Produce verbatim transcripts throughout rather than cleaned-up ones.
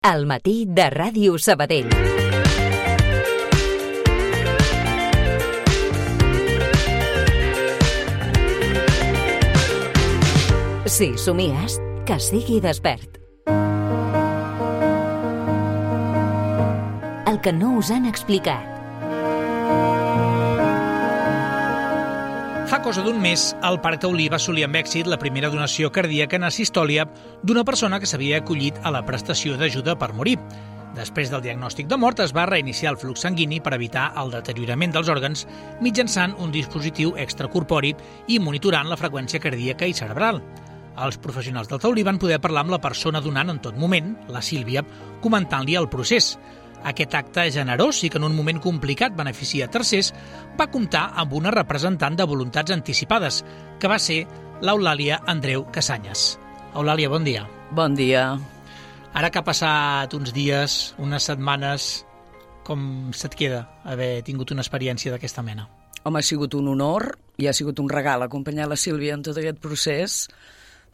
Al matí de Ràdio Sabadell. Si somies, que sigui despert. El que no us han explicat. Fa cosa d'un mes, el Parc Taulí va assolir amb èxit la primera donació cardíaca en asistòlia d'una persona que s'havia acollit a la prestació d'ajuda per morir. Després del diagnòstic de mort, es va reiniciar el flux sanguini per evitar el deteriorament dels òrgans mitjançant un dispositiu extracorpori i monitorant la freqüència cardíaca i cerebral. Els professionals del Taulí van poder parlar amb la persona donant en tot moment, la Sílvia, comentant-li el procés. Aquest acte generós i que en un moment complicat beneficia tercers va comptar amb una representant de voluntats anticipades, que va ser l'Eulàlia Andreu Casanyes. Eulàlia, bon dia. Bon dia. Ara que ha passat uns dies, unes setmanes, com se't queda haver tingut una experiència d'aquesta mena? Home, ha sigut un honor i ha sigut un regal acompanyar la Sílvia en tot aquest procés,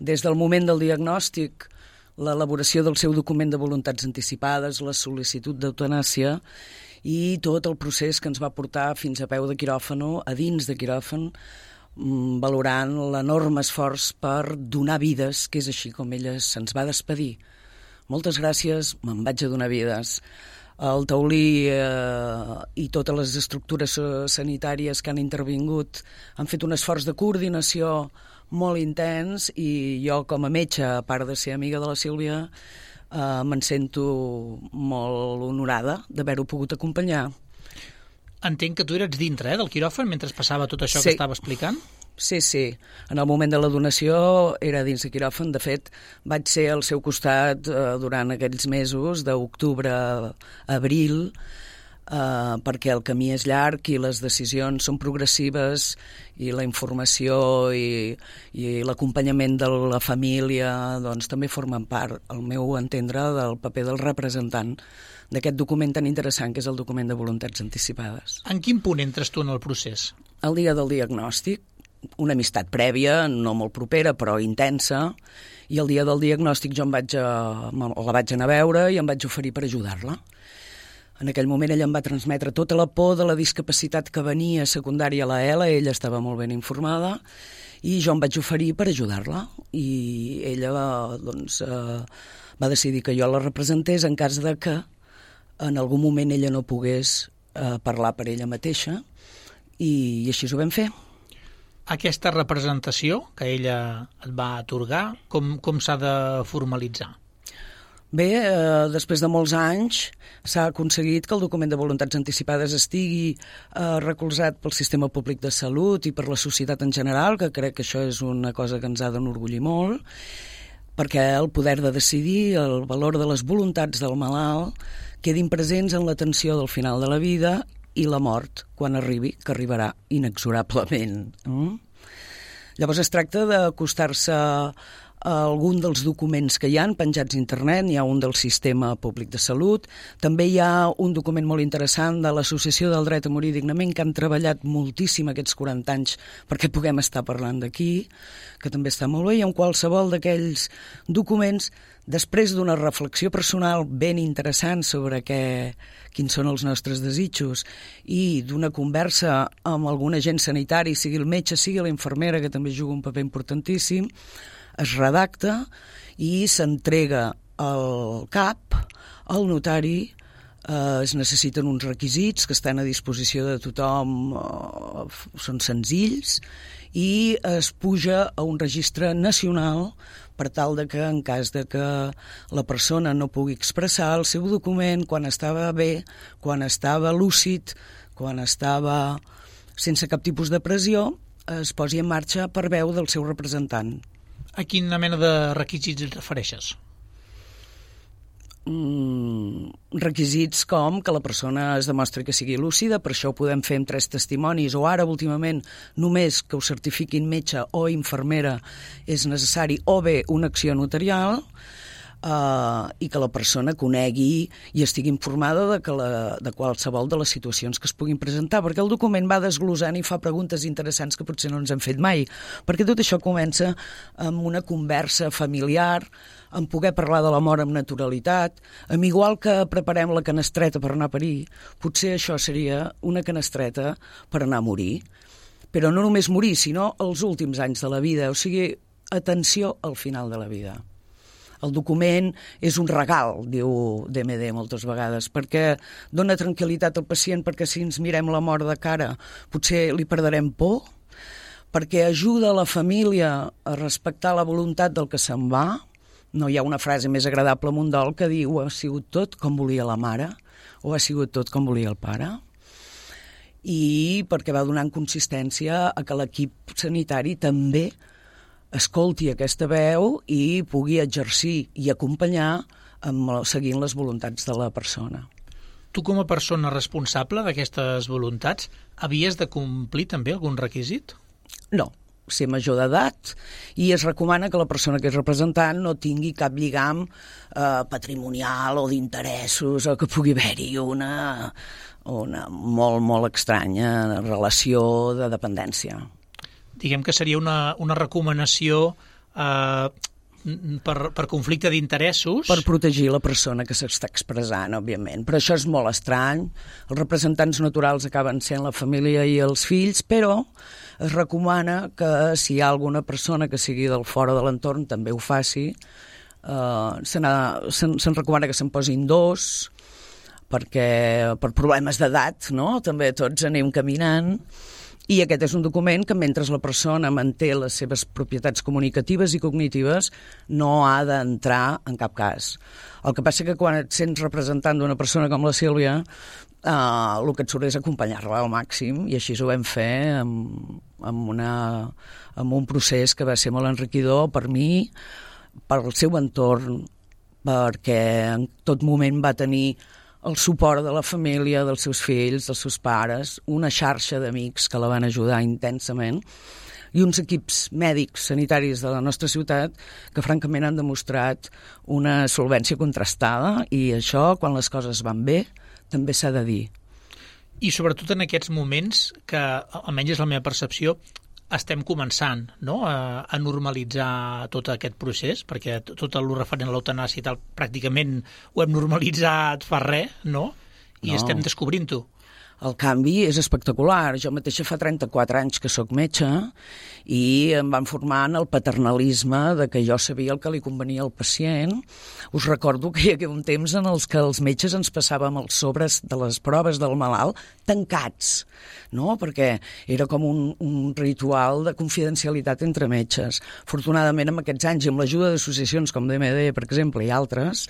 des del moment del diagnòstic, l'elaboració del seu document de voluntats anticipades, la sol·licitud d'eutanàsia i tot el procés que ens va portar fins a peu de quiròfano, a dins de quiròfan, valorant l'enorme esforç per donar vides, que és així com ella se'ns va despedir. Moltes gràcies, me'n vaig a donar vides. El Taulí eh, i totes les estructures sanitàries que han intervingut han fet un esforç de coordinació molt intens i jo com a metge, a part de ser amiga de la Sílvia, eh, me'n sento molt honorada d'haver-ho pogut acompanyar. Entenc que tu eres dintre eh, del quiròfan mentre passava tot això sí. que estava explicant? Sí, sí. En el moment de la donació era dins de quiròfan. De fet, vaig ser al seu costat eh, durant aquells mesos d'octubre a abril, Uh, perquè el camí és llarg i les decisions són progressives i la informació i, i l'acompanyament de la família doncs, també formen part, al meu entendre, del paper del representant d'aquest document tan interessant que és el document de voluntats anticipades. En quin punt entres tu en el procés? El dia del diagnòstic, una amistat prèvia, no molt propera però intensa, i el dia del diagnòstic jo em vaig a, la vaig anar a veure i em vaig oferir per ajudar-la. En aquell moment ella em va transmetre tota la por de la discapacitat que venia secundària a la E L A, ella estava molt ben informada, i jo em vaig oferir per ajudar-la. I ella doncs, eh, va decidir que jo la representés en cas de que en algun moment ella no pogués eh, parlar per ella mateixa, i, i així ho vam fer. Aquesta representació que ella et va atorgar, com, com s'ha de formalitzar? Bé, eh, després de molts anys s'ha aconseguit que el document de voluntats anticipades estigui eh, recolzat pel sistema públic de salut i per la societat en general, que crec que això és una cosa que ens ha d'enorgullir molt, perquè el poder de decidir, el valor de les voluntats del malalt, quedin presents en l'atenció del final de la vida i la mort, quan arribi, que arribarà inexorablement. Mm? Llavors es tracta d'acostar-se a algun dels documents que hi ha penjats a internet. Hi ha un del sistema públic de salut, també hi ha un document molt interessant de l'Associació del Dret a Morir Dignament, que han treballat moltíssim aquests quaranta anys perquè puguem estar parlant d'aquí, que també està molt bé, i en qualsevol d'aquells documents, després d'una reflexió personal ben interessant sobre què, quins són els nostres desitjos i d'una conversa amb algun agent sanitari, sigui el metge, sigui la infermera, que també juga un paper importantíssim, es redacta i s'entrega al C A P, al notari. Eh, es necessiten uns requisits que estan a disposició de tothom, eh, són senzills, i es puja a un registre nacional per tal de que, en cas de que la persona no pugui expressar el seu document quan estava bé, quan estava lúcid, quan estava sense cap tipus de pressió, es posi en marxa per veu del seu representant. A quina mena de requisits et refereixes? Mm, requisits com que la persona es demostri que sigui lúcida, per això ho podem fer amb tres testimonis, o ara últimament només que ho certifiquin metge o infermera és necessari, o bé una acció notarial. Uh, i que la persona conegui i estigui informada de, que la, de qualsevol de les situacions que es puguin presentar, perquè el document va desglosant i fa preguntes interessants que potser no ens hem fet mai, perquè tot això comença amb una conversa familiar, amb poder parlar de la mort amb naturalitat, amb igual que preparem la canestreta per anar a parir, potser això seria una canestreta per anar a morir, però no només morir, sinó els últims anys de la vida, o sigui, atenció al final de la vida. El document és un regal, diu D M D moltes vegades, perquè dona tranquil·litat al pacient, perquè si ens mirem la mort de cara potser li perdrem por, perquè ajuda la família a respectar la voluntat del que se'n va. No hi ha una frase més agradable en un dol que diu ha sigut tot com volia la mare o ha sigut tot com volia el pare. I perquè va donant consistència a que l'equip sanitari també escolti aquesta veu i pugui exercir i acompanyar amb, seguint les voluntats de la persona. Tu, com a persona responsable d'aquestes voluntats, havies de complir també algun requisit? No, ser major d'edat, i es recomana que la persona que és representant no tingui cap lligam eh, patrimonial o d'interessos, o que pugui haver-hi una, una molt, molt estranya relació de dependència. Diguem que seria una, una recomanació eh, per, per conflicte d'interessos. Per protegir la persona que s'està expressant, òbviament. Però això és molt estrany. Els representants naturals acaben sent la família i els fills, però es recomana que si hi ha alguna persona que sigui del fora de l'entorn també ho faci. Uh, se'n, se'n, se'n recomana que se'n posin dos, perquè per problemes d'edat, no? També tots anem caminant. I aquest és un document que, mentre la persona manté les seves propietats comunicatives i cognitives, no ha d'entrar en cap cas. El que passa que quan et sents representant d'una persona com la Sílvia, eh, el que et surt és acompanyar-la al màxim, i així ho vam fer amb, amb, una, amb un procés que va ser molt enriquidor per mi, per el seu entorn, perquè en tot moment va tenir el suport de la família, dels seus fills, dels seus pares, una xarxa d'amics que la van ajudar intensament i uns equips mèdics sanitaris de la nostra ciutat que francament han demostrat una solvència contrastada, i això, quan les coses van bé, també s'ha de dir. I sobretot en aquests moments que, almenys és la meva percepció, estem començant, no?, a, a normalitzar tot aquest procés, perquè tot el referent a l'eutanàsia i tal pràcticament ho hem normalitzat fa res, no? I no. Estem descobrint-ho. El canvi és espectacular. Jo mateixa fa trenta-quatre anys que sóc metge i em van formar en el paternalisme de que jo sabia el que li convenia al pacient. Us recordo que hi havia un temps en els que els metges ens passàvem els sobres de les proves del malalt tancats, no? Perquè era com un, un ritual de confidencialitat entre metges. Afortunadament, amb aquests anys i amb l'ajuda d'associacions com D M D, per exemple, i altres,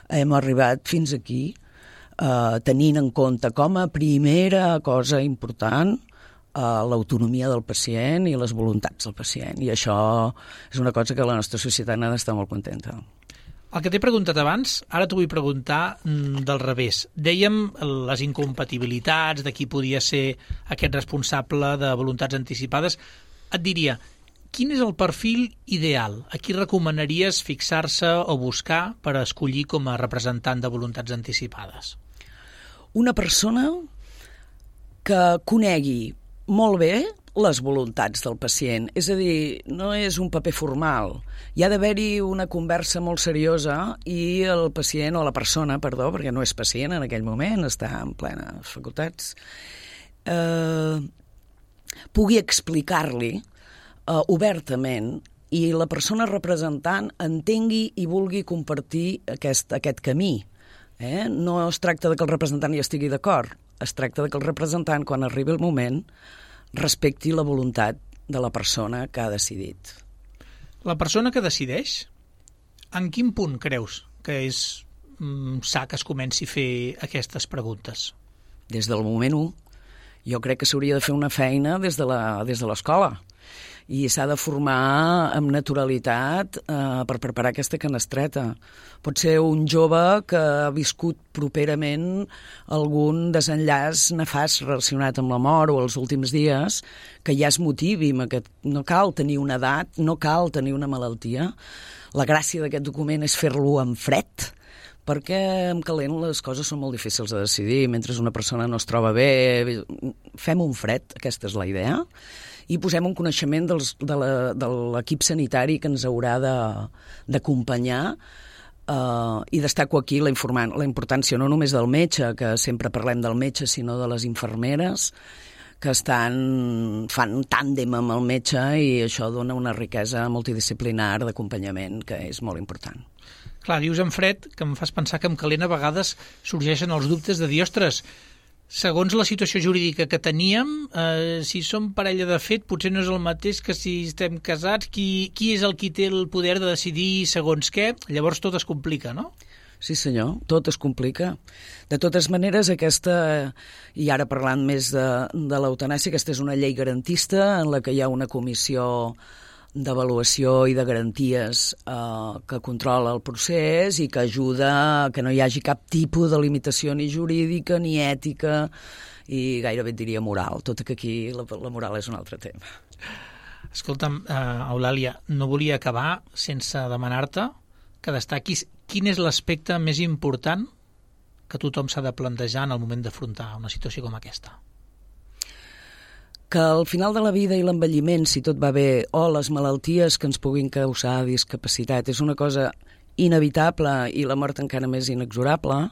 hem arribat fins aquí, Uh, tenint en compte com a primera cosa important uh, l'autonomia del pacient i les voluntats del pacient. I això és una cosa que la nostra societat n'ha d'estar molt contenta. El que t'he preguntat abans, ara t'ho vull preguntar mm, del revés. Dèiem les incompatibilitats de qui podia ser aquest responsable de voluntats anticipades. Et diria, quin és el perfil ideal? A qui recomanaries fixar-se o buscar per escollir com a representant de voluntats anticipades? Una persona que conegui molt bé les voluntats del pacient. És a dir, no és un paper formal. Hi ha d'haver-hi una conversa molt seriosa i el pacient, o la persona, perdó, perquè no és pacient en aquell moment, està en plenes facultats, eh, pugui explicar-li eh, obertament, i la persona representant entengui i vulgui compartir aquest, aquest camí. Eh? No es tracta de que el representant hi estigui d'acord, es tracta de que el representant, quan arribi el moment, respecti la voluntat de la persona que ha decidit. La persona que decideix, en quin punt creus que és mm, sa que es comenci a fer aquestes preguntes? Des del moment u. Jo crec que s'hauria de fer una feina des de la, des de l'escola, i s'ha de formar amb naturalitat eh, per preparar aquesta canestreta. Pot ser un jove que ha viscut properament algun desenllaç nefast relacionat amb la mort o els últims dies, que ja es motivi amb aquest... No cal tenir una edat, no cal tenir una malaltia. la gràcia d'aquest document és fer-lo en fred, perquè en calent les coses són molt difícils de decidir. Mentre una persona no es troba bé, fem un fred, aquesta és la idea, i posem un coneixement dels, de l'equip sanitari que ens haurà d'acompanyar, uh, i destaco aquí la, la importància no només del metge, que sempre parlem del metge, sinó de les infermeres, que estan, fan un tàndem amb el metge, i això dona una riquesa multidisciplinar d'acompanyament que és molt important. Clar, dius en fred, que em fas pensar que en calent a vegades sorgeixen els dubtes de dir, ostres, segons la situació jurídica que teníem, eh, si som parella de fet, potser no és el mateix que si estem casats, qui, qui és el qui té el poder de decidir segons què? Llavors tot es complica, no? Sí, senyor, tot es complica. De totes maneres, aquesta, i ara parlant més de, de l'eutanàsia, aquesta és una llei garantista en la que hi ha una comissió d'avaluació i de garanties eh, que controla el procés i que ajuda a que no hi hagi cap tipus de limitació ni jurídica ni ètica i gairebé et diria moral, tot i que aquí la, la moral és un altre tema. Escolta'm, uh, Eulàlia, no volia acabar sense demanar-te que destaquis quin és l'aspecte més important que tothom s'ha de plantejar en el moment d'afrontar una situació com aquesta. Que al final de la vida i l'envelliment, si tot va bé, o les malalties que ens puguin causar discapacitat, és una cosa inevitable i la mort encara més inexorable,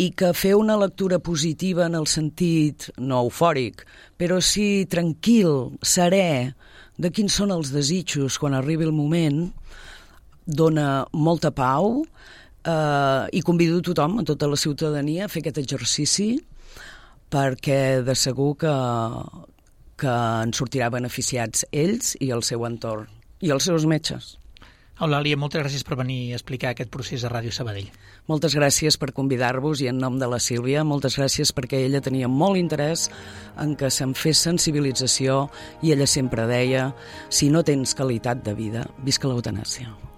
i que fer una lectura positiva en el sentit, no eufòric, però sí tranquil, serè, de quins són els desitjos quan arribi el moment, dona molta pau, eh, i convido a tothom, a tota la ciutadania, a fer aquest exercici, perquè de segur que, que en sortirà beneficiats ells i el seu entorn, i els seus metges. Eulàlia, moltes gràcies per venir a explicar aquest procés a Ràdio Sabadell. Moltes gràcies per convidar-vos i en nom de la Sílvia, moltes gràcies perquè ella tenia molt interès en que se'n fes sensibilització i ella sempre deia, si no tens qualitat de vida, visca l'eutanàsia.